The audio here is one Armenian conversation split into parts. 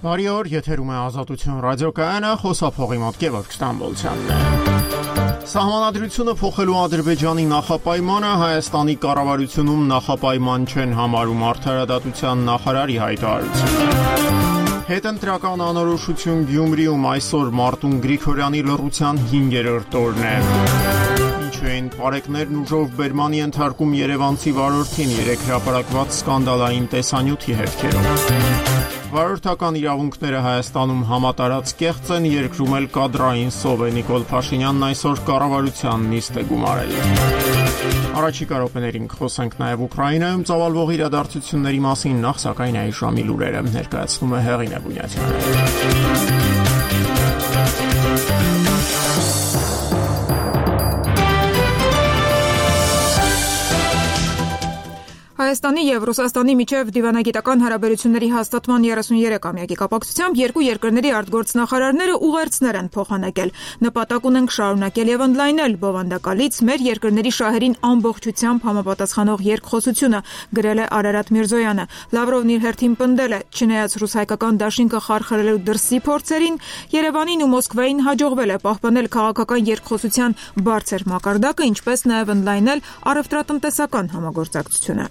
Բարի օր, եթերում է Ազատություն ռադիոկայանը, խոսափողի մոտ Գևորգ Ստամբոլցյանն է։ Սահմանադրությունը փոխելու Ադրբեջանի նախապայմանը Հայաստանի կառավարությունում նախապայման չեն համարում արդարադատության նախարարի հայտարարությունը։ Հետընտրական անորոշություն Գյումրիում այսօր Մարտուն Գրիգորյանի լռության 5-րդ օրն է։ Ինչու են պարեկներն ուժով բերմանի ենթարկում երևանցի վարորդին 3 հրապարակված սկանդալային տեսանյութի հետքերով։ Վարորդական իրավունքները Հայաստանում համատարած կեղծ են, երկրում էլ կադրային սով է, Նիկոլ Փաշինյանն այսօր կառավարության նիստ է գումարել։ Առաջիկա րոպեներին խոսենք նաև Ուկրաինայում ծավալվող իրադարձությունների մասին, նախ սակայն այս ժամի լուրերը ներկայացնում է Հեղինե Բունյացյանը։ Հայաստանի և Ռուսաստանի միջև դիվանագիտական հարաբերությունների հաստատման 33-ամյակի կապակցությամբ երկու երկրների արտգործնախարարները ուղերձներ են փոխանակել։ Նպատակ ունենք շարունակել և ընդլայնել բովանդակալից մեր երկրների շահերին ամբողջությամբ համապատասխանող երկխոսությունը, գրել է Արարատ Միրզոյանը։ Լավրովն իր հերթին պնդել է, չնայած ռուս-հայկական դաշինքը խարխլելու դրսի փորձերին, Երևանին ու Մոսկվային հաջողվել է պահպանել քաղաքական երկխոսության բարձր մակարդակը, ինչպես նաև ընդլայնել առևտրատնտեսական համագործակցությունը։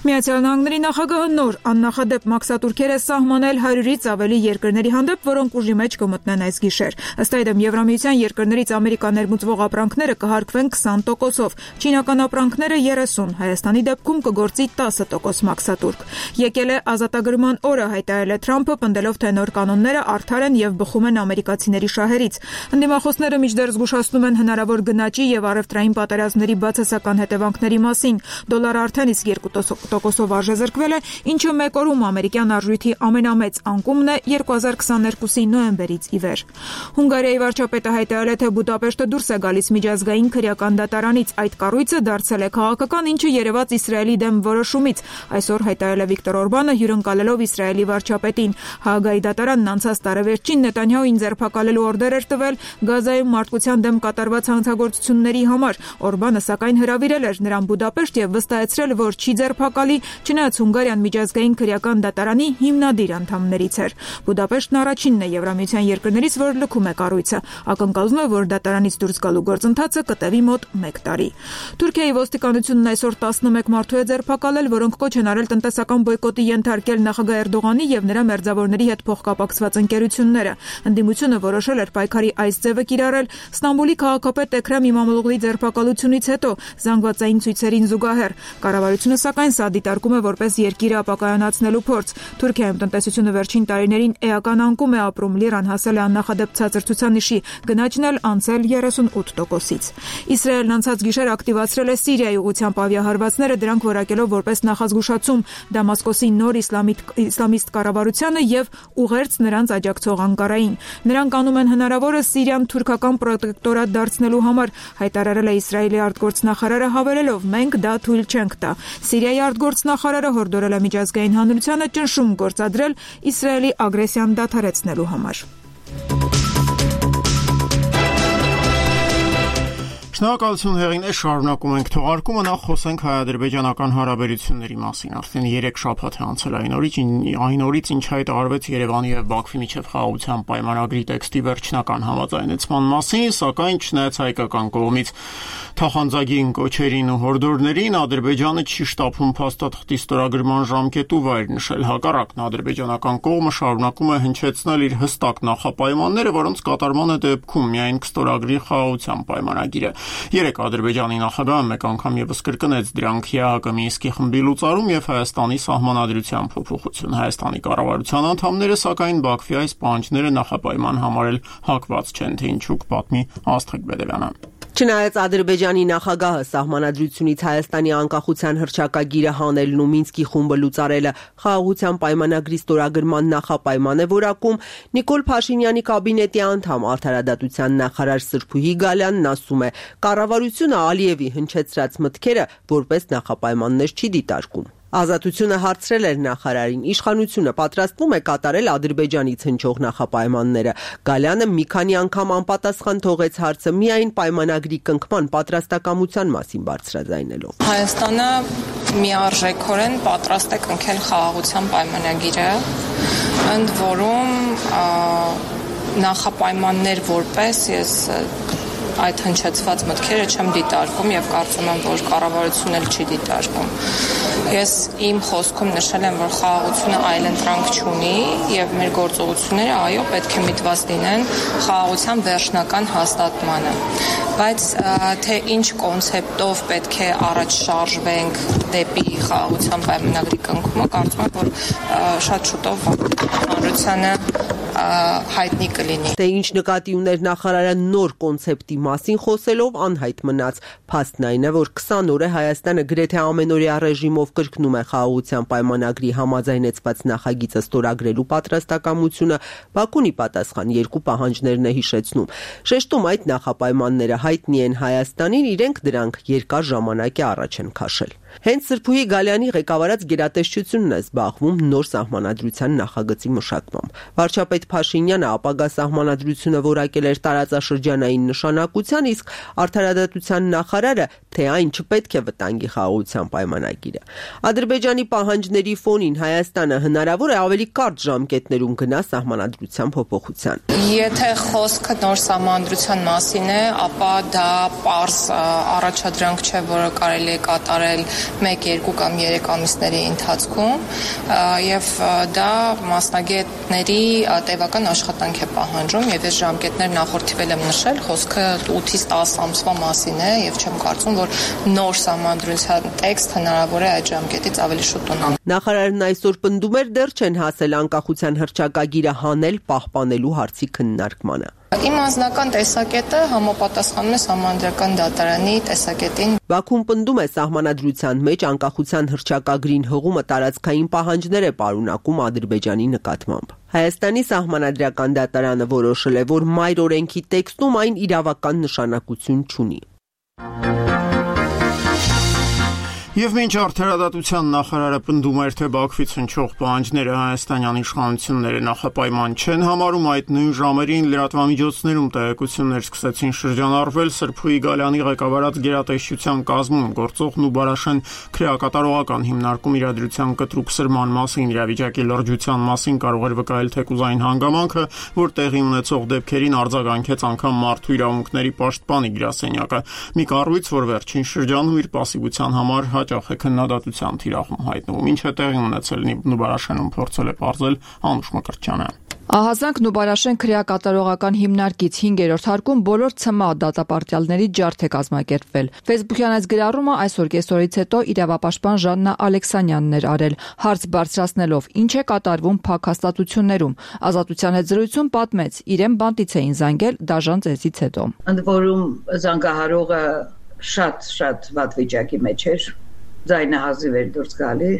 Միացյալ Նահանգների նախագահը նոր աննախադեպ մաքսատուրքեր է սահմանել 100-ից ավելի երկրների հանդեպ, որոնք ուժի մեջ կմտնեն այս գիշեր։ Ըստ այդմ Եվրամիության երկրներից Ամերիկա ներմուծվող ապրանքները կհարկվեն 20%-ով, չինական ապրանքները 30%, Հայաստանի դեպքում կգործի 10% մաքսատուրք։ Եկել է ազատագրման օրը, հայտարարել է Թրամփը, պնդելով, թե նոր կանոնները արդար են և բխում են ամերիկացիների շահերից։ Ընդդիմախոսները մինչդեռ զգուշացնում են հնարավոր գնաճի և առևտրային պատերազմների բացասական հետևանքների մասին։ Դոլարը արդեն իսկ 2%-ով արժեզրկվել է, ինչը մեկ օրում ամերիկյան արժույթի ամենամեծ անկումն է 2022-ի նոյեմբերից ի վեր։ Հունգարիայի վարչապետը հայտարարել է, թե Բուդապեշտը դուրս է գալիս միջազգային քրեական դատարանից։ Այդ կառույցը դարձել է քաղաքական, ինչը երևաց Իսրայելի դեմ որոշումից։ Այսօր հայտարարել է Վիկտոր Օրբանը, հյուրընկալելով Իսրայելի վարչապետին։ Հաագայի դատարանն անցած տարեվերջին Նետանյահուին ձերբակալելու օրդեր էր տվել Գազայում մարդկության դեմ կատարված հանցագործությունների համար։ Օրբանը սակայն հրավիրել էր նրան Բուդապեշտ և վստահեցրել, որ չի ձերբակալի, չնայած Հունգարիան միջազգային քրեական դատարանի հիմնադիր անդամներից էր։ Բուդապեշտն առաջինն է Եվրամիության երկրներից, որ լքում է կառույցը։ Ակնկալվում է, որ դատարանից դուրս գալու գործընթացը կտևի մոտ 1 տարի։ Թուրքիայի ոստիկանությունն այսօր 11 մարդու է ձերբակալել, որոնք կոչ են արել տնտեսական բոյկոտի ենթարկել նախագահ Էրդողանի և նրա մերձավորների հետ փոխկապակցված ընկերությունները։ Ընդդիմությունը որոշել էր պայքարի այս ձևը կիրառել Ստամբուլի քաղաքապետ Էքրեմ Իմամօղլուի ձերբակալությունից հետո զանգվածային ցույցերին զուգահեռ։ Կառավարությունը սակայն սա դիտարկում է որպես երկիրը ապակայանացնելու փորձ։ Թուրքիայում տնտեսությունը վերջին տարիներին էական անկում է ապրում, լիրան հասել է աննախադեպ ցածր ցուցանիշի, գնաճն էլ անցել 38%-ից։ Իսրայելն անցած գիշեր ակտիվացրել է Սիրիայի ուղղությամբ ավիահարվածները, դրանք որակելով որպես նախազգուշացում Դամասկոսի նոր իսլամիստ կառավարությանը և ուղերձ նրանց աջակցող Անկարային։ Նրանք անում են հնարավորը Սիրիան թուրքական պրոտեկտորատ դարձնելու համար, հայտարարել է Իսրայելի արտգործնախարարը, հավելելով. «Մենք դա թույլ չենք տա»։ Սիրիայի արտգործնախարարը հորդորել է միջազգային հանրությանը ճնշում գործադրել Իսրայելի ագրեսիան դադարեցնելու համար։ Շնորհակալություն Հեղինե, շարունակում ենք թողարկումը, նախ խոսենք հայ-ադրբեջանական հարաբերությունների մասին։ Արդեն 3 շաբաթ է անցել այն օրից, ինչ հայտարարվեց Երևանի և Բաքվի միջև խաղաղության պայմանագրի տեքստի վերջնական համաձայնեցման մասին, սակայն չնայած հայկական կողմից թախանձագին կոչերին ու հորդորներին, Ադրբեջանը չի շտապում փաստաթղթի ստորագրման ժամկետ ու վայր նշել։ Հակառակն, ադրբեջանական կողմը շարունակում է հնչեցնել իր հստակ նախապայմանները, որոնց կատարմանը դեպքում միայն կստորագրի խաղաղության պայմանագիրը։ Երեկ Ադրբեջանի նախագահը մեկ անգամ ևս կրկնեց դրանք ԵԱՀԿ Մինսկի խմբի լուծարում և Հայաստանի սահմանադրության փոփոխություն։ Հայաստանի կառավարության անդամները սակայն Բաքվի այս պահանջները նախապայման համարել հակված չեն, թե ինչու կպատմի Աստղիկ Բեդևյանը։ Չնայած Ադրբեջանի նախագահը սահմանադրությունից Հայաստանի անկախության հռչակագիրը հանելն ու Մինսկի խումբը լուծարելը խաղաղության պայմանագրի ստորագրման նախապայման է որակում, Նիկոլ Փաշինյանի կաբինետի անդամ արդարադատության նախարար Սրփուհի Գալյանն ասում է, կառավարությունը Ալիևի հնչեցրած մտքերը որպես նախապայմաններ չի դիտարկում։ Ազատությունը հարցրել էր նախարարին, իշխանությունը պատրաստվում է կատարել Ադրբեջանից հնչող նախապայմանները։ Գալյանը մի քանի անգամ անպատասխան թողեց հարցը միայն պայմանագրի կնքման պատրաստակամության մասին բարձրաձայնելով։ Հայաստանը միարժեքորեն պատրաստ է կնքել խաղաղության պայմանագիրը ընդ որում նախապայմաններ որպես ես այդ հնչեցված մտքերը չեմ դիտարկում եւ կարծում եմ, որ կառավարությունն էլ չի դիտարկում։ Ես իմ խոսքում նշել եմ, որ խաղաղությունը այլընտրանք չունի եւ մեր գործողությունները այո պետք է միտված լինեն խաղաղության վերջնական հաստատմանը։ Բայց թե ինչ կոնցեպտով պետք է առաջ շարժվենք դեպի խաղաղության պայմանագրի կնքումը, կարծում եմ, որ շատ շուտով հանրությանը հայտնի կլինի։ Թե ինչ նկատի ուներ նախարարը նոր կոնցեպտի մասին խոսելով անհայտ մնաց։ Փաստն այն է, որ 20 օր է Հայաստանը գրեթե ամենօրյա ռեժիմով կրկնում է խաղաղության պայմանագրի համաձայնեցված նախագիծը ստորագրելու պատրաստակամությունը, Բաքուն ի պատասխան երկու պահանջներն է հիշեցնում։ Շեշտում այդ նախապայմանները հայտնի են Հայաստանին, իրենք դրանք երկար ժամանակ է առաջ են քաշել։ Հենց Սրփուհի Գալյանի ղեկավարած գերատեսչությունն է զբաղվում նոր սահմանադրության նախագծի մշակմամբ։ Վարչապետ Փաշինյանը ապագա սահմանադրությունը որակել էր տարածաշրջանային նշանակության, իսկ արդարադատության նախարարը, թե այն չպետք է վտանգի խաղաղության պայմանագիրը։ Ադրբեջանի պահանջների ֆոնին Հայաստանը հնարավոր է ավելի կարճ ժամկետներում գնա սահմանադրության փոփոխության։ Եթե խոսքը նոր սահմանադրության մասին է, ապա դա պարզ առաջադրանք չէ, որը կարելի է կատարել 1, 2 կամ 3 ամիսների ընթացքում եւ դա մասնագետների տևական աշխատանք է պահանջում եւ այս ժամկետներ նախորդիվել եմ նշել, խոսքը 8-ից 10 ամսվա մասին է եւ չեմ կարծում, որ նոր սահմանադրության տեքստ հնարավոր է այդ ժամկետից ավելի շուտ ունենալ։ Նախարարն այսօր պնդում էր դեռ չեն հասել անկախության հռչակագիրը հանել պահպանելու հարցի քննարկմանը։ Իմ անձնական տեսակետը համապատասխանում է Սահմանադրական դատարանի տեսակետին։ Բաքուն պնդում է սահմանադրության մեջ անկախության հռչակագրին հղումը տարածքային պահանջներ է պարունակում Ադրբեջանի նկատմամբ։ Հայաստանի Սահմանադրական դատարանը որոշել է, որ մայր օրենքի տեքստում այն իրավական նշանակություն չունի։ Եվ մինչ արդարադատության նախարարը պնդում էր, թե Բաքվից հնչող պահանջները հայաստանյան իշխանությունները նախապայման չեն համարում, այդ նույն ժամերին լրատվամիջոցներում տեղեկություններ սկսեցին շրջանառվել Սրփուհի Գալյանի ղեկավարած գերատեսչության կազմում գործող Նուբարաշեն քրեակատարողական հիմնարկում իրադրության կտրուկ սրման մասին, իրավիճակի լրջության մասին կարող էր վկայել թեկուզային հանգամանքը, որ տեղի ունեցող դեպքերին արձագանքեց անգամ մարդու իրավունքների պաշտպանի գրասենյակը։ Մի կառույց, որ վերջին շրջանում իր պասիվության համար հաճախ է քննադատության թիրախում հայտնվում, ինչ է տեղի ունեցել Նուբարաշենում, փորձել է պարզել Անուշ Մկրտչյանը։ Ահազանգ Նուբարաշեն քրեակատարողական հիմնարկից 5-րդ հարկում բոլոր ՑՄԱ դատապարտյալների ջարդ է կազմակերպվել։ Facebook-յան այս գրառումը այսօր կեսօրից հետո իրավապաշտպան Ժաննա Ալեքսանյանն էր արել, հարց բարձրացնելով ինչ է կատարվում փակ հաստատություններում։ Ազատության հետ զրույցում պատմեց, իրեն բանտից էին զանգել դաժան ծեսից հետո։ Ընդ որում զանգահարողը շատ վատ վիճակի մեջ էր, ձայնը հազիվ էր դուրս գալի։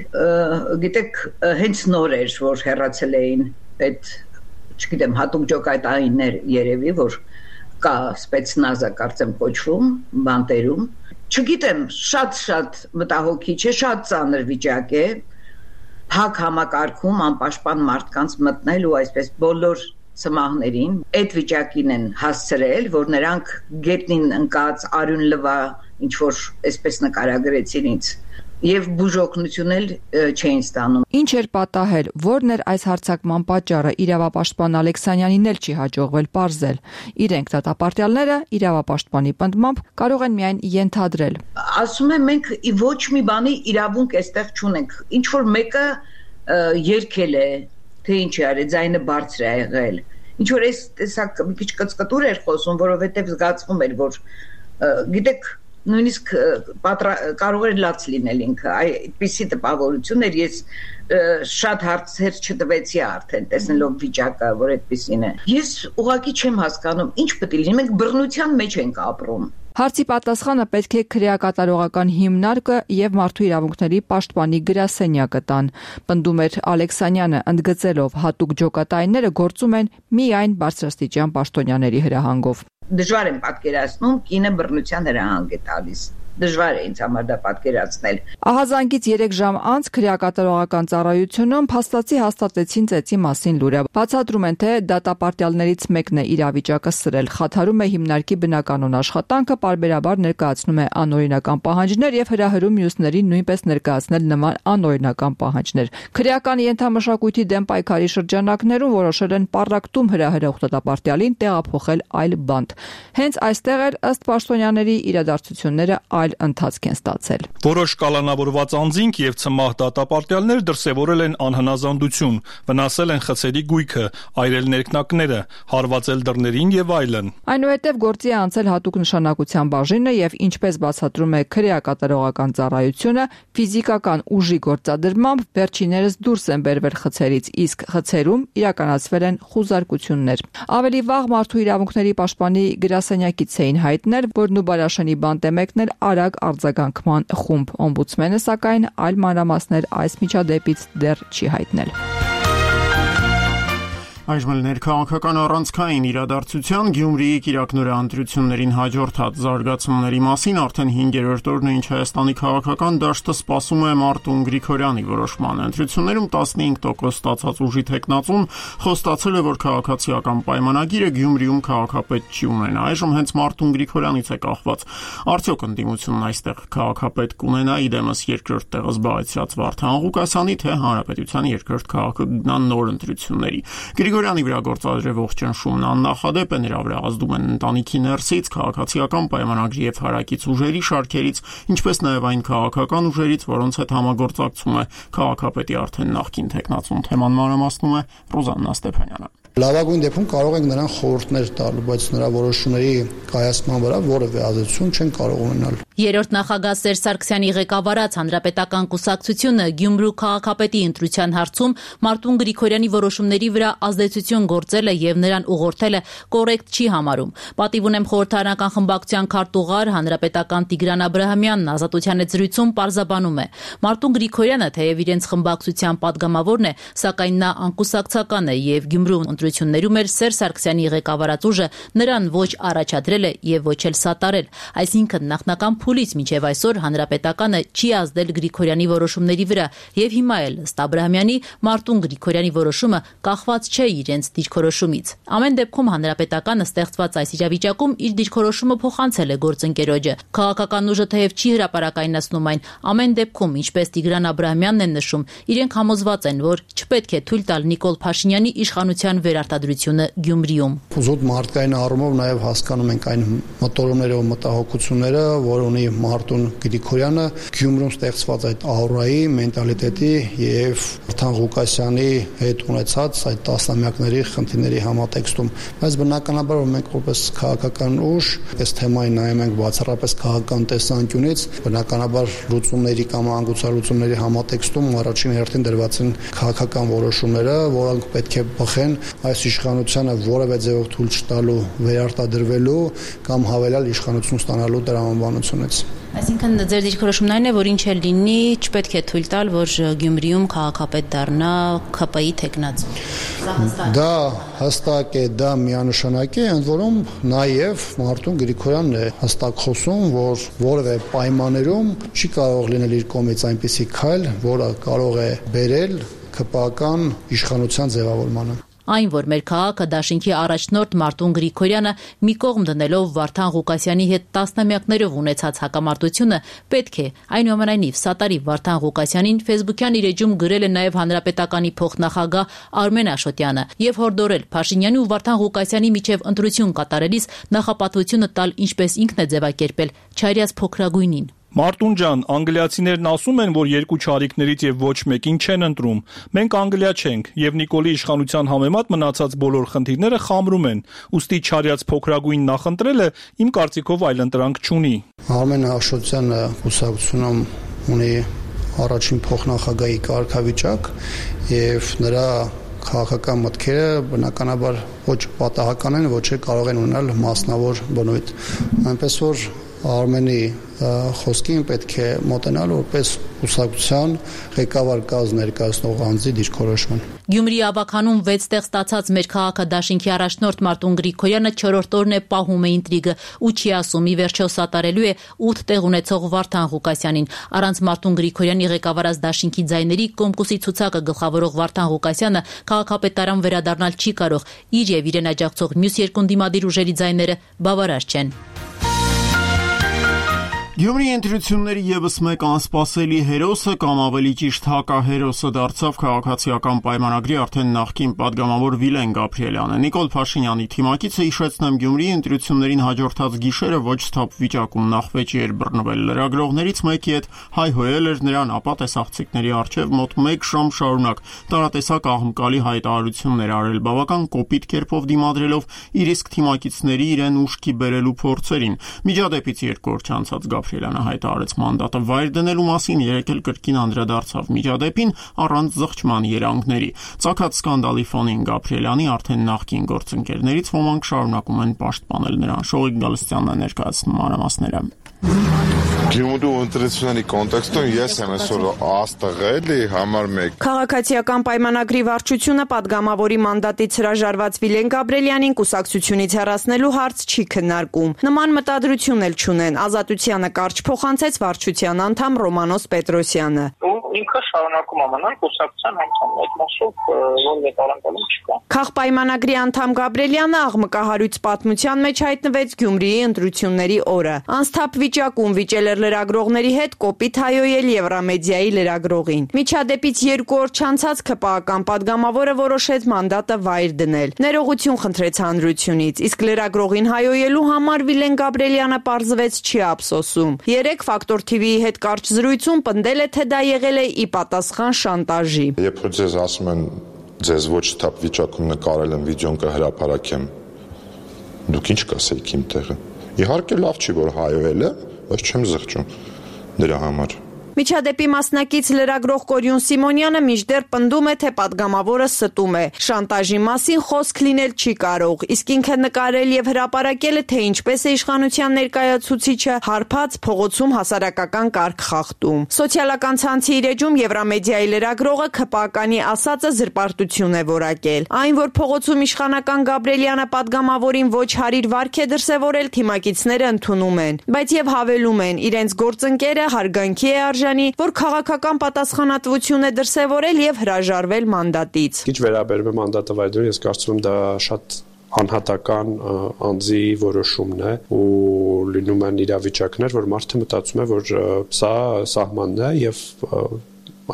Գիտեք, հենց նոր էր, որ հեռացել էին այդ, չգիտեմ, հատուկ ջոկատայիններ երևի, որ կա սպեցնազը կարծեմ կոչվում, բանտերում։ Չգիտեմ, շատ մտահոգիչ է, շատ ծանր վիճակ է, փակ համակարգում անպաշտպան մարդկանց մտնել ու այսպես բոլոր ծմահներին այդ վիճակին են հասցրել, որ նրանք գետնին ընկած արյուն լվա, ինչ որ այսպես նկարագրեցին ինձ, եւ բուժօգնություն էլ չէին ստանում։ Ինչ էր պատահել, որն էր այս հարձակման պատճառը, իրավապաշտպան Ալեքսանյանին էլ չի հաջողվել պարզել։ Իրենք դատապարտյալները իրավապաշտպանի պնդմամբ կարող են միայն ենթադրել։ Ասում եմ, մենք ոչ մի բանի իրավունք այստեղ չունենք։ Ինչ որ մեկը երգել է, թե ինչ է արել, ձայնը բարձր է եղել։ Ինչ որ այս տեսակ մի քիչ կծկտուր էր խոսում, որովհետեւ զգացվում էր, որ գիտեք, նույնիսկ կարող էր լաց լինել ինքը, այդպիսի տպավորություն էր, ես շատ հարցեր չտվեցի արդեն, տեսնելով վիճակը, որ այդպիսին է։ Ես ուղղակի չեմ հասկանում, ինչ պետք է լինի, մենք բռնության մեջ ենք ապրում։ Հարցի պատասխանը պետք է քրեակատարողական հիմնարկը եւ մարդու իրավունքների պաշտպանի գրասենյակը տան, պնդում էր Ալեքսանյանը, ընդգծելով հատուկ ջոկատայինները գործում են միայն բարձրաստիճան պաշտոնյաների հրահանգով։ Դժվար եմ պատկերացնում, կինը բռնության հրահանգ է տալիս։ Դժվար է ինձ համար դա պատկերացնել։ Ահազանգից 3 ժամ անց քրեակատարողական ծառայությունում փաստացի հաստատեցին ծեծի մասին լուրը։ Բացատրում են, թե դատապարտյալներից մեկն է իրավիճակը սրել, խաթարում է հիմնարկի բնականոն աշխատանքը, պարբերաբար ներկայացնում է անօրինական պահանջներ եւ հրահրում մյուսներին նույնպես ներկայացնել նման անօրինական պահանջներ։ Քրեական ենթամշակույթի դեմ պայքարի շրջանակներում որոշել են պառակտում հրահրող դատապարտյալին տեղափոխել այլ բանտ։ Հենց այստեղ էլ ըստ պաշտոնյաների իրադարձությունները այլ ընթացք են ստացել։ Որոշ կալանավորված անձինք եւ ցմահ դատապարտյալներ դրսեւորել են անհնազանդություն, վնասել են խցերի գույքը, այրել ներքնակները, հարվածել դռներին եւ այլն։ Այնուհետև գործի է անցել հատուկ նշանակության բաժինը եւ ինչպես բացատրում է քրեակատարողական ծառայությունը, ֆիզիկական ուժի գործադրմամբ վերջիներս դուրս են բերվել խցերից, իսկ խցերում իրականացվել են խուզարկություններ։ Ավելի վաղ մարդու իրավունքների պաշտպանի գրասենյակից էին հայտնել, որ Նուբարաշենի բանտ է մեկնել արագ արձագանքման խումբ։ Օմբուդսմենը սակայն այլ մանրամասներ այս միջադեպից դեռ չի հայտնել։ Այժմ ներքաղաքական առանցքային իրադարձության Գյումրիի կիրակնօրյա ընտրություններին հաջորդած զարգացումների մասին արդեն 5-րդ օրն է, ինչ Հայաստանի քաղաքական դաշտը սպասում է Մարտուն Գրիգորյանի որոշմանը։ Ընտրություններում 15% ստացած ուժի թեկնածուն խոստացել է, որ քաղաքացիական պայմանագիրը Գյումրիում քաղաքապետ չի ունենա։ Այժմ հենց Մարտուն Գրիգորյանից է կախված, արդյոք ընդդիմությունն այստեղ քաղաքապետ կունենա, իդեմս երկրորդ տեղը զբաղեցրած Վարդան Ղուկասյանի, թե հանրապետության երկրորդ քաղաքը գնան նոր ընտրությունների։ Գրիգորյանի վրա գործադրվող ճնշումն աննախադեպ է, նրա վրա ազդում են ընտանիքի ներսից, քաղաքացիական պայմանագրի եւ հարակից ուժերի շարքերից, ինչպես նաեւ այն քաղաքական ուժերից, որոնց հետ համագործակցում է քաղաքապետի արդեն նախկին թեկնածուն։ Թեման մանրամասնում է Ռոզաննա Ստեփանյանը։ Լավագույն դեպքում կարող ենք նրան խորհուրդներ տալ, բայց նրա որոշումների կայացման վրա որևէ ազդեցություն չեն կարող ունենալ։ Երրորդ նախագահ Սերժ Սարգսյանի ղեկավարած Հանրապետական կուսակցությունը Գյումրու քաղաքապետի ընտրության հարցում Մարտուն Գրիգորյանի որոշումների վրա ազդեցություն գործել է եւ նրան ուղղորդել է կոռեկտ չի համարում։ Պատիվ ունեմ խորհրդարանական խմբակցության քարտուղար Հանրապետական Տիգրան Աբրահամյանն Ազատության հետ զրույցում պարզաբանում է. Մարտուն Գրիգորյանը թեև իրենց խմբակցության падգամավորն է, սակայն նա անկուսակցական է եւ Գյումրու ընտրություններում էր Սերժ Սարգսյանի ղեկավարած ուժը նրան ոչ առաջադրել է եւ ոչ էլ սատարել։ Այսինքն նախնական փուլից մինչև այսօր Հանրապետականը չի ազդել Գրիգորյանի որոշումների վրա եւ հիմա էլ ըստ Աբրահամյանի Մարտուն Գրիգորյանի որոշումը կախված չէ իրենց դիրքորոշումից։ Ամեն դեպքում Հանրապետականը ստեղծված այս իրավիճակում իր դիրքորոշումը փոխանցել է գործընկերոջը։ Քաղաքական ուժը թեև չի հրապարակայնացնում այն, ամեն դեպքում, ինչպես Տիգրան Աբրահամյանն է նշում, իրենք համոզված են, որ չպետք է թույլ տալ Նիկոլ Փաշինյանի իշխանության վերարտադրությունը Գյումրիում։ Զուտ մարդկային առումով նաև հասկանում ենք այն մտորումները ու մտահոգությունները, որ ունի Մարտուն Գրիգորյանը Գյումրում ստեղծված այդ աուրայի, մենտալիտետի եւ Վարդան Ղուկասյանի հետ ունեցած այդ տասնամյակների խնդիրների համատեքստում։ Բայց բնականաբար որ մենք որպես քաղաքական ուժ այս թեմային նայում ենք բացառապես քաղաքական տեսանկյունից, բնականաբար լուծումների կամ անգուցալուծումների համատեքստում առաջին հերթին դրված են քաղաքական որոշումները, որոնք պետք է բխեն այս իշխանությանը որևէ ձևով թույլ չտալու վերարտադրվելու կամ հավելյալ իշխանություն ստանալու տրամաբանությունից։ Այսինքն ձեր դիրքորոշումն այն է, որ ինչ էլ լինի, չպետք է թույլ տալ, որ Գյումրիում քաղաքապետ դառնա ԿՊ-ի թեկնածու։ Դա հստակ է, դա միանշանակ է, ընդ որում նաև Մարտուն Գրիգորյանն է հստակ խոսում, որ որևէ պայմաններում չի կարող լինել իր կողմից այնպիսի քայլ, որը կարող է բերել ԿՊ-ական իշխանության ձևավորմանը։ Այն, որ մեր քաղաքը դաշինքի առաջնորդ Մարտուն Գրիգորյանը մի կողմ դնելով Վարդան Ղուկասյանի հետ տասնամյակներով ունեցած հակամարտությունը պետք է այնուամենայնիվ սատարի Վարդան Ղուկասյանին Facebook-յան իր էջում գրել է նաև Հանրապետականի փոխնախագահ Արմեն Աշոտյանը եւ հորդորել Փաշինյանի ու Վարդան Ղուկասյանի միջև ընտրություն կատարելիս նախապատվությունը տալ ինչպես ինքն է ձևակերպել, չարյաց փոքրագույնին։ Մարտուն ջան, անգլիացիներն ասում են, որ երկու չարիքներից եւ ոչ մեկին չեն ընտրում։ Մենք Անգլիա չենք եւ Նիկոլի իշխանության համեմատ մնացած բոլոր խնդիրները խամրում են։ Ուստի չարյաց փոքրագույն նախընտրելը իմ կարծիքով այլընտրանք չունի։ Արմեն Աշոտյանը կուսակցությունում ունի առաջին փոխնախագահի կարգավիճակ եւ նրա քաղաքական մտքերը բնականաբար ոչ պատահական են, ոչ էլ կարող են ունենալ մասնավոր բնույթ։ Այնպես որ Արմենի խոսքին պետք է մոտենալ որպես կուսակցության ղեկավար կազմ ներկայացնող անձի դիրքորոշման։ Գյումրի ավականում 6 տեղ ստացած մեր քաղաքադաշինքի առաջնորդ Մարտուն Գրիգորյանը 4-րդ օրն է պահում է ինտրիգը ու չի ասում ի վերջո սատարելու է 8 տեղ ունեցող Վարդան Ղուկասյանին։ Առանց Մարտուն Գրիգորյանի ղեկավարած դաշինքի ձայների Կոմկուսի ցուցակը գլխավորող Վարդան Ղուկասյանը քաղաքապետարան վերադառնալ չի կարող։ Իր եւ իրեն աջակցող մյուս երկու դիմադիր ուժերի ձայները բավարար չեն։ Գյումրի ընտրությունների ևս մեկ անսպասելի հերոսը կամ ավելի ճիշտ հակահերոսը դարձավ քաղաքացիական պայմանագրի արդեն նախկին падգամավոր Վիլեն Գաբրիելյանը։ Նիկոլ Փաշինյանի թիմակիցը հիշեցնեմ Գյումրիի ընտրություններին հաջորդած գիշերը ոչ սթափ վիճակում նախվեճի էր բռնվել լրագրողներից մեկի հետ հայհոյել էր նրան, ապա տեսախցիկների առջև մոտ 1 ժամ շարունակ տարատեսակ աղմկալի հայտարարություններ արել, բավական կոպիտ կերպով դիմադրելով իր իսկ թիմակիցների իրեն ուշքի բերելու փորձերին։ Միջադեպից 2 օր չանցած Գաբրիելյանը հայտարարեց մանդատը վայր դնելու մասին, երեկ էլ կրկին անդրադարձավ միջադեպին առանց զղջման երանգների։ Ծագած սկանդալի ֆոնին Գաբրիելյանի արդեն նախկին գործընկերներից ոմանք շարունակում են պաշտպանել նրան։ Շողիկ Գալստյանն է ներկայացնում մանրամասները։ Գյումրու ընտրությունների կոնտեքստում ես եմ այսօր աստղելի համար 1 Քաղաքացիական պայմանագրի վարչությունը падգամավորի մանդատից հրաժարված Վիլեն Գաբրիելյանին կուսակցությունից հեռացնելու հարց չի քննարկում։ Նման մտադրություն էլ չունեն։ Ազատությանը կարճ փոխանցեց վարչության անդամ Ռոմանոս Պետրոսյանը։ Ինքը շարունակում ամանալ կուսակցության անդամ այդ մասով որևէ տարանցում չկա։ Քաղպայմանագրի անդամ Գաբրիելյանը աղմկահարույց պատմության մեջ հայտնվեց Գյումրիի ընտրությունների օրը։ Անսթափ վիճակում վիճել էր լրագրողների հետ կոպիտ հայոյել Եվրամեդիայի լրագրողին։ Միջադեպից 2 օր չանցած ԿՊԱ-ական падգամավորը որոշեց մանդատը վայր դնել։ Ներողություն խնդրեց հանրությունից, իսկ լրագրողին հայոյելու համար Վիլեն Գաբրիելյանը պարզվեց չի ափսոսում։ Երեկ Ֆակտոր TV-ի հետ կարճ զրույցում պնդել է, թե դա եղել է ի պատասխան շանտաժի։ Երբ ձեզ ասում են ձեզ ոչ թափ վիճակում նկարել են վիդեոն կհրապարակեմ, դուք ինչ կասեիք իմ տեղը։ Իհարկե լավ չի որ հայոյել է, բայց չեմ զղջում դրա համար։ Միջադեպի մասնակից լրագրող Կորյուն Սիմոնյանը մինչդեռ պնդում է, թե падգամավորը ստում է։ Շանտաժի մասին խոսք լինել չի կարող, իսկ ինքը նկարել եւ հրապարակել է, թե ինչպես է իշխանության ներկայացուցիչը հարբած փողոցում հասարակական կարգ խախտում։ Սոցիալական ցանցի իր էջում Եվրամեդիայի լրագրողը ԿՊԱ-կանի ասածը զրպարտություն է որակել։ Այն, որ փողոցում իշխանական Գաբրիելյանը падգամավորին ոչ հարիր վարք է դրսևորել, թիմակիցները ընդունում են, բայց եւ հավելում են, իրենց գործընկերը հարգանքի է որ քաղաքական պատասխանատվություն է դրսևորել եւ հրաժարվել մանդատից։ Ինչ վերաբերում է մանդատը վայրդրել, ես կարծում եմ դա շատ անհատական անձի որոշումն է ու լինում են իրավիճակներ, որ մարդը մտածում է, որ սա սահմանն է եւ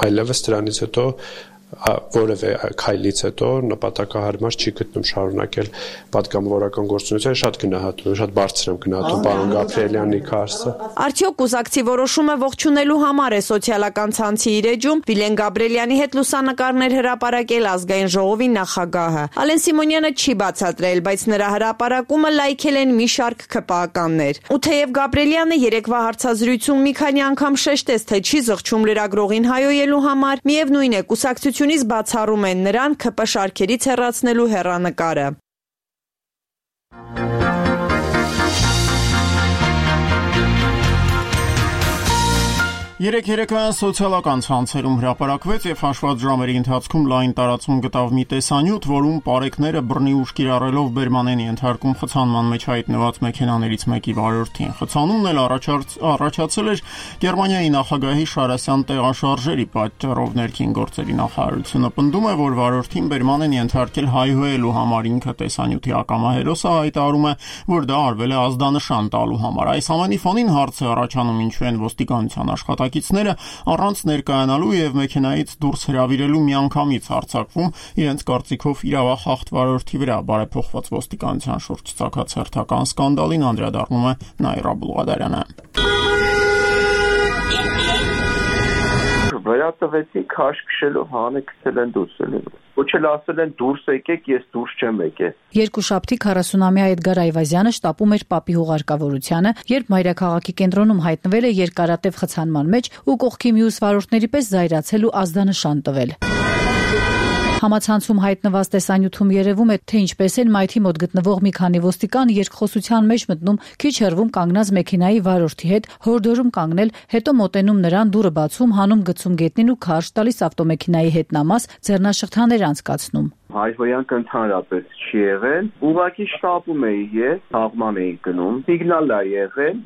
այլևս դրանից հետո որևէ քայլից հետո նպատակահարմար չի գտնում շարունակել падգամավորական գործունեությունը, շատ գնահատում եմ, շատ բարձր եմ գնահատում պարոն Գաբրիելյանի քարսը։ Արդյոք կուսակցի որոշումը ողջունելու համար է սոցիալական ցանցի իր էջում Վիլեն Գաբրիելյանի հետ լուսանկարներ հրապարակել ազգային ժողովի նախագահը։ Ալեն Սիմոնյանը չի բացատրել, բայց նրա հրապարակումը լայքել են մի շարք ԿՊԱ-ականներ։ Ու թեև Գաբրիելյանը երեկվա հարցազրույցում մի քանի անգամ շեշտեց, թե չի զղջում լրագրողին հայոյելու համար, միևնույն է կուսակցությունից բացառում են նրան ԿՊ շարքերից հեռացնելու հեռանկարը։ Երեկոյան սոցիալական ցանցերում հրապարակվեց եւ հաշված ժամերի ընթացքում լայն տարածում գտավ մի տեսանյութ, որում պարեկները բռնի ուժ կիրառելով բերման են ենթարկում խցանման մեջ հայտնված մեքենաներից մեկի վարորդին։ Խցանումն էլ առաջացել էր Գերմանիայի նախագահի Շարասյան տեղաշարժերի պատճառով ներքին գործերի նախարարությունը պնդում է, որ վարորդին բերման են ենթարկել հայհոյելու համար, ինքը տեսանյութի ակամա հերոսը հայտարարում է, որ դա արվել է ազդանշան տալու համար։ Այս ամենի ֆոնին հարց է առաջանում, ինչու են ոստիկանության աշխատակիցները առանց ներկայանալու եւ մեքենայից դուրս հրավիրելու միանգամից հարձակվում իրենց կարծիքով իրավախախտ վարորդի վրա։ Բարեփոխված ոստիկանության շուրջ ցակած հերթական սկանդալին անդրադառնում է Նաիրա Բուլղադարյանը։ Վերատվեցի քաշ քշելով հանը քսել են դուրս ելել։ Ոչ էլ ասել են դուրս եկեք, ես դուրս չեմ եկել։ Երկուշաբթի 40-ամյա Էդգար Այվազյանը շտապում էր պապի հուղարկավորությանը, երբ մայրաքաղաքի կենտրոնում հայտնվել է երկարատև խցանման մեջ ու կողքի մյուս վարորդների պես զայրացել ու ազդանշան տվել։ Համացանցում հայտնված տեսանյութում երևում է, թե ինչպես են մայթի մոտ գտնվող մի քանի ոստիկան երկխոսության մեջ մտնում քիչ հեռվում կանգնած մեքենայի վարորդի հետ, հորդորում կանգնել, հետո մոտենում նրան, դուռը բացում, հանում գցում գետնին ու քարշ տալիս ավտոմեքենայի հետնամաս, ձեռնաշղթաներ անցկացնում։ Հայհոյանք ընդհանրապես չի եղել, ուղղակի շտապում էի ես, սաղման էի գնում, սիգնալ է եղել,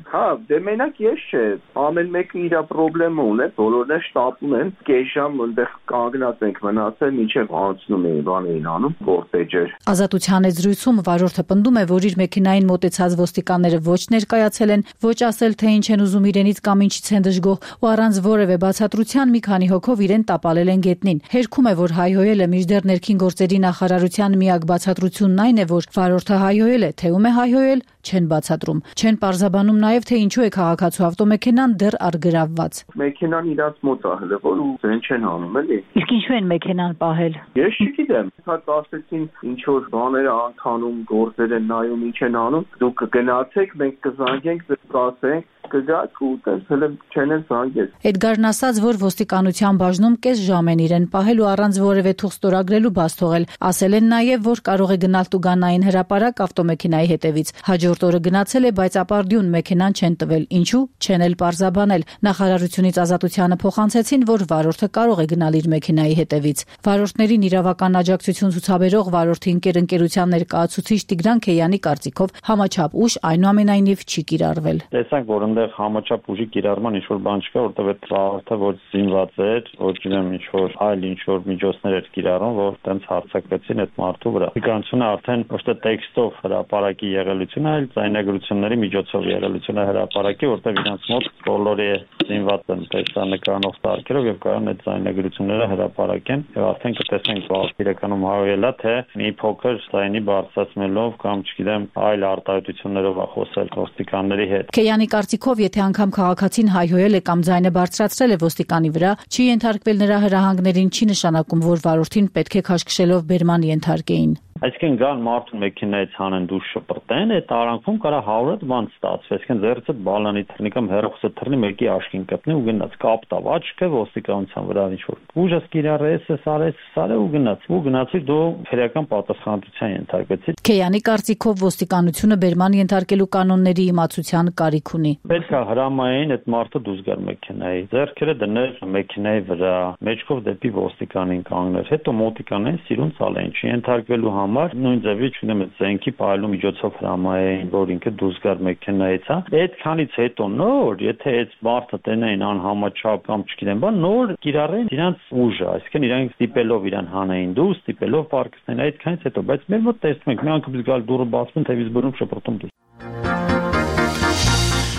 դե մենակ ես չէ, ամեն մեկը իր պրոբլեմը ունի, բոլորն է շտապում են, կես ժամ այնտեղ կանգնած ենք մնացել, մինչև անցնում էին, բան էին անում, կորտեջեր։ Ազատության հետ զրույցում վարորդը պնդում է, որ իր մեքենային մոտեցած ոստիկանները ոչ ներկայացել են, ոչ ասել, թե ինչ են ուզում իրենից կամ ինչից են դժգոհ, ու առանց որևէ բացատրության մի քանի հոգով իրեն տապալել են գետնին։ Հերքում է, որ հայհոյելը մինչդեռ ներքին գործերի նախարարության միակ բացատրությունն այն է, որ վարորդը հայհոյել է, թե ում է հայհոյել, չեն բացատրում։ Չեն պարզաբանում նաև, թե ինչու է քաղաքացու ավտոմեքենան դեռ առգրավված։ Մեքենան իրաց մոտ է հլվել ու զեն չեն անում, էլի։ Իսկ ինչու են մեքենան պահել։ Ես չգիտեմ, հատ ասեցին ինչ որ բաներ անում, գործեր են նայում, ինչ են անում, դուք կգնացեք, մենք կզանգենք, կասենք, կգաք ու տեսել չեն զանգել։ Էդգարն ասաց, որ ոստիկանության բաժնում կես ժամ են իրեն պահել ու առանց որևէ թուղթ ստորագրելու բաց թողել։ Ասել են նաև, որ կարող է գնալ Տուգանային հրապարակ ավտոմեքենայի հետևից։ Հաջորդ օրը գնացել է, բայց ապարդյուն մեքենան չեն տվել։ Ինչու? Չեն էլ պարզաբանել։ Նախարարությունից Ազատությանը փոխանցեցին, որ վարորդը կարող է գնալ իր մեքենայի հետևից։ Վարորդներին իրավական աջակցություն ցուցաբերող վարորդի ընկերության ներկայացուցիչ Տիգրան Քեյանի կարծիքով համաչափ ուժ այնուամենայնիվ չի կիրառվել։ Տեսանք, որ այնտեղ համաչափ ուժի կիրառման ինչ-որ բան չկա, որտեղ այդ վարորդը ոչ զինված էր, ոչ գիտեմ ինչ-որ այլ ինչ-որ միջոցներ էր կիրառում, որ տենց հարձակվեցին այդ մարդու վրա։ Իկանությունը արդեն ոչ թե տեքստով հրապարակի եղելությունը, այլ ձայնագրությունների միջոցով եղելությունը հրապարակի, որտեղ իրանց մոտ բոլորի զինված են տեսանկարող սարքերով եւ կարող են այդ ձայնագրությունները հրապարակեն եւ արդեն կտեսնենք իրականում հայելա թե մի փոքր ձայնի բարձրացնելով կամ չգիտեմ այլ արտահայտություններով է խոսել ոստիկանների հետ։ Քեյանի կարծիքով, եթե անգամ քաղաքացին հայհոյել է կամ ձայնը բարձրացրել է ոստիկանի վրա, չի ենթարկվել նրա հրահանգներին, չի նշանակում, որ վարորդին պետք է քաշքշելով բերման ենթարկեին։ Այսինքն գան մարդու մեքենայից հանեն դուրս շպրտեն, այդ արանքում կարա 100 բան ստացվի, այսինքն ձեռքը բալանի թռնի կամ հերոսը թռնի մեկի աչքին կպնի ու գնաց կապտավ աչքը ոստիկանության վրա ինչ-որ ուժս կիրառես, սարե ու գնացի դու քրեական պատասխանատվության ենթարկվեցի։ Քեյանի կարծիքով ոստիկանությունը բերման ենթարկելու կանոնների իմացության կարիք ունի։ Պետք է հրամայեն այդ մարդը դուրս գար մեքենայի, ձեռքերը դներ մեքենայի վրա, մեջքով դեպի ոստիկանին կանգներ, հետո մոտիկանեն սիրուն ցալեն, չի ենթարկվելու համար նույն ձևի չունեմ այդ զենքի պայելու միջոցով հրամայեն, որ ինքը դուրս գար մեքենայից, հա։ Այդքանից հետո նոր, եթե այդ մարդը տենային անհամաչափ կամ չգիտեմ բան, նոր կիրառեն իրանց ուժը, այսինքն իրանք ստիպելով իրան հանային դուրս, ստիպելով պարկստեն այդքանից հետո, բայց մեր մոտ տեսնում ենք, մի անգամ գալ դուրը բացվում, թևից բռնում շփրտում դուրս։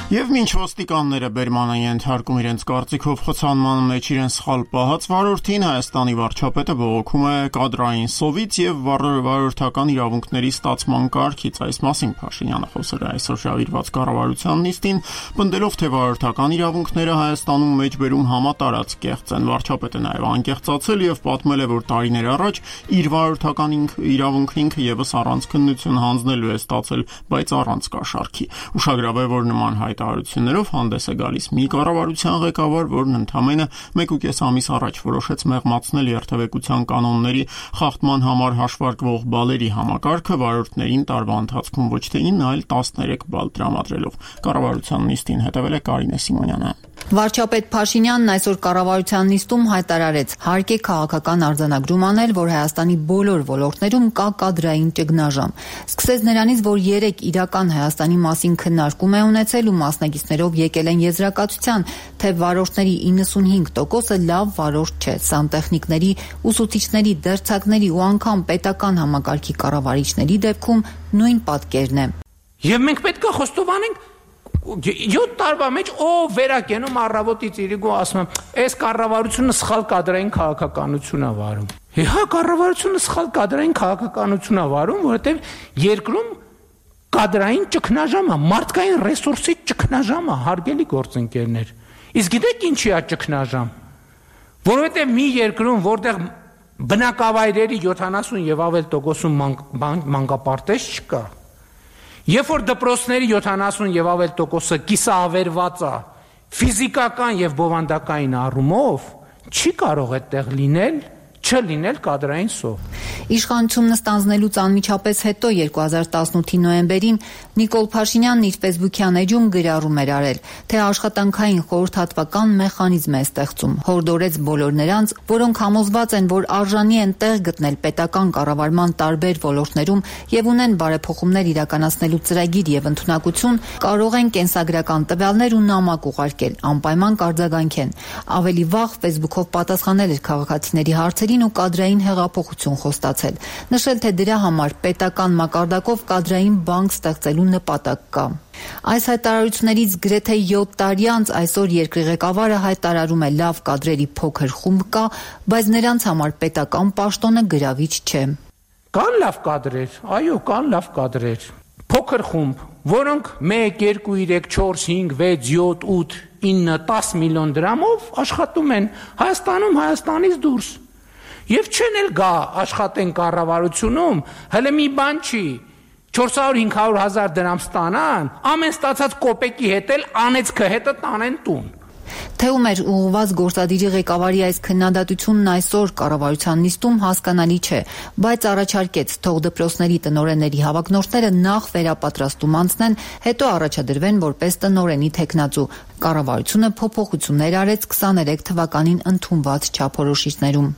Եվ մինչ ոստիկանները բերման են ենթարկում իրենց կարծիքով խցանման մեջ իրեն սխալ պահած վարորդին, Հայաստանի վարչապետը բողոքում է կադրային սովից եւ վարորդական իրավունքների ստացման կարգից։ Այս մասին Փաշինյանը խոսել է այսօր շահիրված կառավարության նիստին, պնդելով, թե վարորդական իրավունքները Հայաստանում մեջբերում համատարած կեղծ են։ Վարչապետը նաեւ անկեղծացել եւ պատմել է, որ տարիներ առաջ իր վարորդական իրավունքն ինքը եւս առանց քննություն հանձնելու է ստացել, բայց առանց կաշառքի։ Ուշագրավ է, որ նման հայտարարություններով հանդես է գալիս մի կառավարության ղեկավար, որն ընդամենը 1.5 ամիս առաջ որոշեց մեղմացնել երթևեկության կանոնների խախտման համար հաշվարկվող բալերի համակարգը վարորդներին տարվա ընթացքում ոչ թե 9, այլ 13 բալ տրամադրելով։ Կառավարության նիստին հետևել է Կարինե Սիմոնյանը։ Վարչապետ Փաշինյանն այսօր կառավարության նիստում հայտարարեց, հարկ է քաղաքական արձանագրում անել, որ Հայաստանի բոլոր ոլորտներում կա կադրային ճգնաժամ։ Սկսեց նրանից, որ 3 իրական Հայաստանի մասին քննարկում է ունեցել ու մասնակիցներով եկել են եզրակացության, թե վարորդների 95%-ը լավ վարորդ չէ, սանտեխնիկների, ուսուցիչների, դերձակների ու անգամ պետական համակարգի կառավարիչների դեպքում նույն պատկերն է։ Եվ մենք պետք է խոստովանենք 7 տարվա մեջ ով վերակենում առավոտից իրիկու ասում եմ, այս կառավարությունը սխալ կադրային քաղաքականություն է վարում։ Հա, կառավարությունը սխալ կադրային քաղաքականություն է վարում, որովհետև երկրում կադրային ճգնաժամ է, մարդկային ռեսուրսի ճգնաժամ է, հարգելի գործընկերներ։ Իսկ գիտեք ինչի է ճգնաժամ։ Որովհետև մի երկրում, որտեղ բնակավայրերի 70 եւ ավել տոկոսում մանկապարտեզ չկա, երբ որ դպրոցների 70 եւ ավել տոկոսը կիսավերված է ֆիզիկական եւ բովանդակային առումով, չի կարող այդտեղ լինել չլինել կադրային սով։ Իշխանությունն ստանձնելուց անմիջապես հետո 2018-ի նոյեմբերին Նիկոլ Փաշինյանն իր Facebook-յան էջում գրառում էր արել, թե աշխատանքային խորհրդատվական մեխանիզմ է ստեղծում, հորդորեց բոլոր նրանց, որոնք համոզված են, որ արժանի են տեղ գտնել պետական կառավարման տարբեր ոլորտներում եւ ունեն բարեփոխումներ իրականացնելու ծրագիր եւ ընդունակություն, կարող են կենսագրական տվյալներ ու նամակ ուղարկել, անպայման կարձագանքեն։ Ավելի վաղ Facebook-ով պատասխանել էր քաղաքացիների հարցերին ու կադրային հեղափոխություն խոստացել, նշել, թե դրա համար պետական մակարդակով կադրային բանկ ստեղծելու նպատակ կա։ Այս հայտարարություններից գրեթե 7 տարի անց այսօր երկրի ղեկավարը հայտարարում է լավ կադրերի փոքր խումբ կա, բայց նրանց համար պետական պաշտոնը գրավիչ չէ։ Կան լավ կադրեր, այո, կան լավ կադրեր։ Փոքր խումբ, որոնք 1, 2, 3, 4, 5, 6, 7, 8, 9, 10 միլիոն դրամով աշխատում են Հայաստանում, Հայաստանից դուրս։ Եվ չեն էլ գա աշխատեն կառավարությունում, հələ մի բան չի, 400-500 հազար դրամ ստանան, ամեն ստացած կոպեկի հետ էլ անեծքը հետը տանեն տուն։ Թե ում էր ուղղված գործադիրի ղեկավարի այս քննադատությունն այսօր կառավարության նիստում հասկանալի չէ, բայց առաջարկեց թող դպրոցների տնօրենների հավակնորդները նախ վերապատրաստում անցնեն, հետո առաջադրվեն որպես տնօրենի թեկնածու։ Կառավարությունը փոփոխություններ արեց 23 թվականին ընդունված չափորոշիչներում։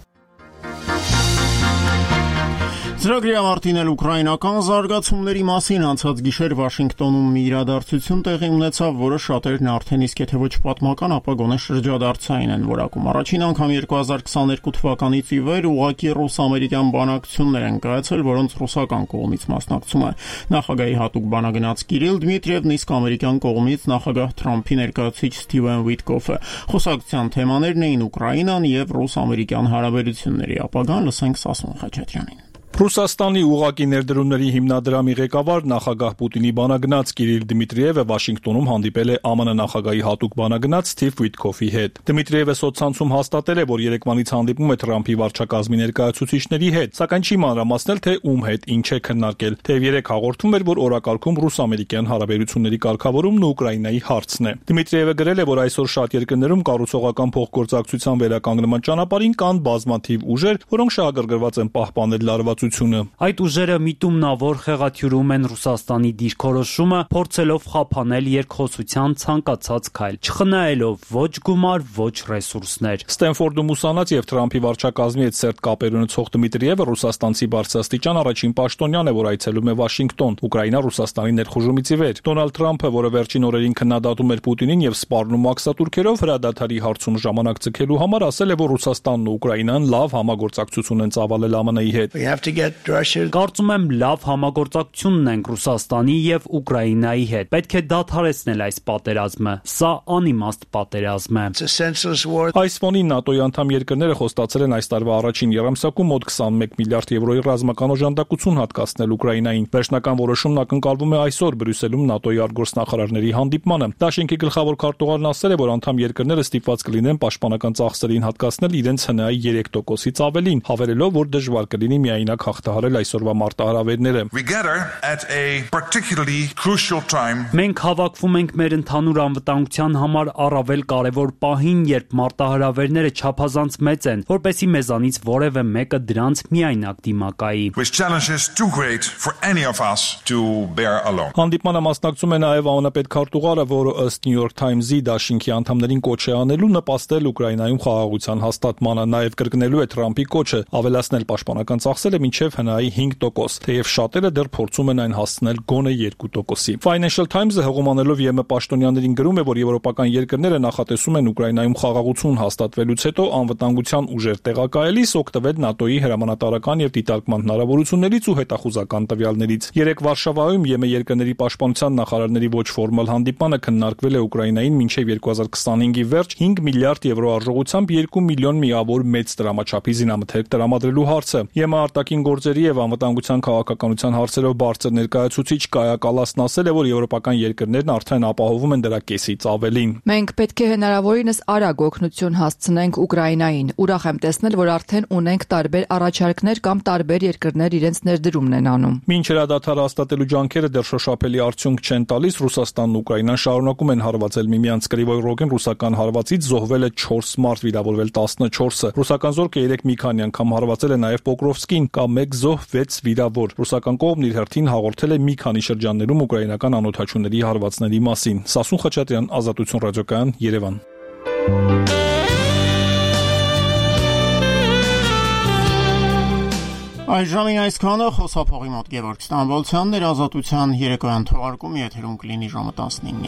Ծրագրի ավարտին էլ ուկրաինական զարգացումների մասին անցած գիշեր Վաշինգտոնում մի իրադարձություն տեղի ունեցավ, որը շատերն արդեն իսկ եթե ոչ պատմական, ապա գոնե շրջադարձային են որակում։ Առաջին անգամ 2022 թվականից ի վեր ուղղակի ռուս-ամերիկյան բանակցություններ են կայացել, որոնց ռուսական կողմից մասնակցում է նախագահի հատուկ բանագնաց Կիրիլ Դմիտրիևն, իսկ ամերիկյան կողմից նախագահ Թրամփի ներկայացուցիչ Սթիվեն Վիտկոֆը։ Խոսակցության թեմաներն էին Ուկրաինան եւ ռուս-ամերիկյան հարաբերությունների ապագան, լսենք Սասուն Խաչատրյանին։ Ռուսաստանի ուղղակի ներդրումների հիմնադրամի ղեկավար նախագահ Պուտինի բանագնաց Կիրիլ Դմիտրիևը Վաշինգտոնում հանդիպել է ԱՄՆ նախագահի հատուկ բանագնաց Սթիվ Վիտկոֆի հետ։ Դմիտրիևը սոցցանցում հաստատել է, որ երեկվանից հանդիպում է Թրամփի վարչակազմի ներկայացուցիչների հետ, սակայն չի մանրամասնել, թե ում հետ ինչ է քննարկել։ Թեև երեք հաղորդում էր, որ օրակարգում ռուս-ամերիկյան հարաբերությունների կարգավորումն ու Ուկրաինայի հարցն է։ Դմիտրիևը գրել է, որ այսօր շատ երկրներում կառուցողական փոխգործակցության վերականգնման ճանապարհին կան բազմաթիվ ուժեր, որոնք շահագրգռված են պահպանել լարվածությունը։ Այդ ուժերը միտումնավոր խեղաթյուրում են Ռուսաստանի դիրքորոշումը, փորձելով խափանել երկխոսության ցանկացած քայլ, չխնայելով ոչ գումար, ոչ ռեսուրսներ։ Ստենֆորդում ուսանած եւ Թրամփի վարչակազմի հետ սերտ կապեր ունեցող Դմիտրիևը ռուսաստանցի բարձրաստիճան առաջին պաշտոնյան է, որ այցելում է Վաշինգտոն, Ուկրաինա-Ռուսաստանի ներխուժումից ի վեր։ Դոնալդ Թրամփը, որը վերջին օրերին քննադատում էր Պուտինին եւ սպառնում ակսատուրքերով հրադադարի հարցում ժամանակ ցկելու համար, ասել է, որ Ռուսաստանն ու Ուկրաինան լավ համագործակցություն են ծավալել ԱՄՆ-ի հետ։ Կարծում եմ լավ համագործակցություն ունենք Ռուսաստանի եւ Ուկրաինայի հետ։ Պետք է դադարեցնել այս պատերազմը։ Սա անիմաստ պատերազմ է։ Այս ֆոնին ՆԱՏՕ-ի անդամ երկրները խոստացել են այս տարվա առաջին եռամսյակում մոտ 21 միլիարդ եվրոյի ռազմական օժանդակություն հատկացնել Ուկրաինային։ Վերջնական որոշումն ակնկալվում է այսօր Բրյուսելում ՆԱՏՕ-ի արտգործնախարարների հանդիպմանը։ Դաշինքի գլխավոր քարտուղարն ասել է, որ անդամ երկրները ստիպված կլինեն պաշտպանական ծախսերին հատկացնել իրենց ՀՆԱ-ի 3%-ից ավելին, հավելելով, որ դժվար կլինի միայնակ հաղթահարել այսօրվա մարտահրավերները։ Մենք հավաքվում ենք մեր ընդհանուր անվտանգության համար առավել կարևոր պահին, երբ մարտահրավերները չափազանց մեծ են, որպեսզի մեզանից որևէ մեկը դրանց միայնակ դիմակայի։ Հանդիպմանը մասնակցում է նաև ԱՄՆ պետքարտուղարը, որը ըստ New York Times-ի դաշինքի անդամներին կոչ է անելու նպաստել Ուկրաինայում խաղաղության հաստատմանը, նաև կրկնելու է Թրամփի կոչը ավելացնել պաշտպանական ծախսերը մինչև ՀՆԱ-ի 5%, թեև շատերը դեռ փորձում են այն հասցնել գոնե 2%-ի։ Financial Times-ը հղումանելով ԵՄ պաշտոնյաներին գրում է, որ եվրոպական երկրները նախատեսում են Ուկրաինայում խաղաղություն հաստատվելուց հետո անվտանգության ուժեր տեղակայելիս օգտվել ՆԱՏՕ-ի հրամանատարական եւ դիտարկման հնարավորություններից ու հետախուզական տվյալներից։ Երեք Վարշավայում ԵՄ երկրների պաշտպանության նախարարների ոչ ֆորմալ հանդիպանը քննարկվել է Ուկրաինային մինչև 2025-ի վերջ 5 միլիարդ եվրո արժողությամբ 2 միլիոն միավոր մեծ դրամաչափի զինամթերք տրամադրելու հարցը։ ԵՄ արտաքին ներքին գործերի եւ անվտանգության քաղաքականության հարցերով բարձր ներկայացուցիչ Կայա Կալասն ասել է, որ եվրոպական երկրներն արդեն ապահովում են դրա կեսից ավելին։ Մենք պետք է հնարավորինս արագ օգնություն հասցնենք Ուկրաինային։ Ուրախ եմ տեսնել, որ արդեն ունենք տարբեր առաջարկներ կամ տարբեր երկրներ իրենց ներդրումն են անում։ Մինչ հրադադարը հաստատելու ջանքերը դեռ շոշափելի արդյունք չեն տալիս, Ռուսաստանն ու Ուկրաինան շարունակում են հարվածել միմյանց։ Կրիվոյ Ռոգեն ռուսական հարվածից զոհվել է 4 մարդ, վիրավորվել 14-ը։ Ռուսական զորքը 3 մի քանի անգամ հարվածել է նաև Պոկրովսկին, կա 1 զոհ, 6 վիրավոր։ Ռուսական կողմն իր հերթին հաղորդել է մի քանի շրջաններում ուկրաինական անօդաչուների հարվածների մասին։ Սասուն Խաչատրյան, Ազատություն ռադիոկայան, Երևան։ Այժմին այսքանը խոսափողի մոտ Գևորգ Ստամբոլցյանն էր Ազատության երեկոյան թողարկումը եթերում կլինի ժամը 15-ին։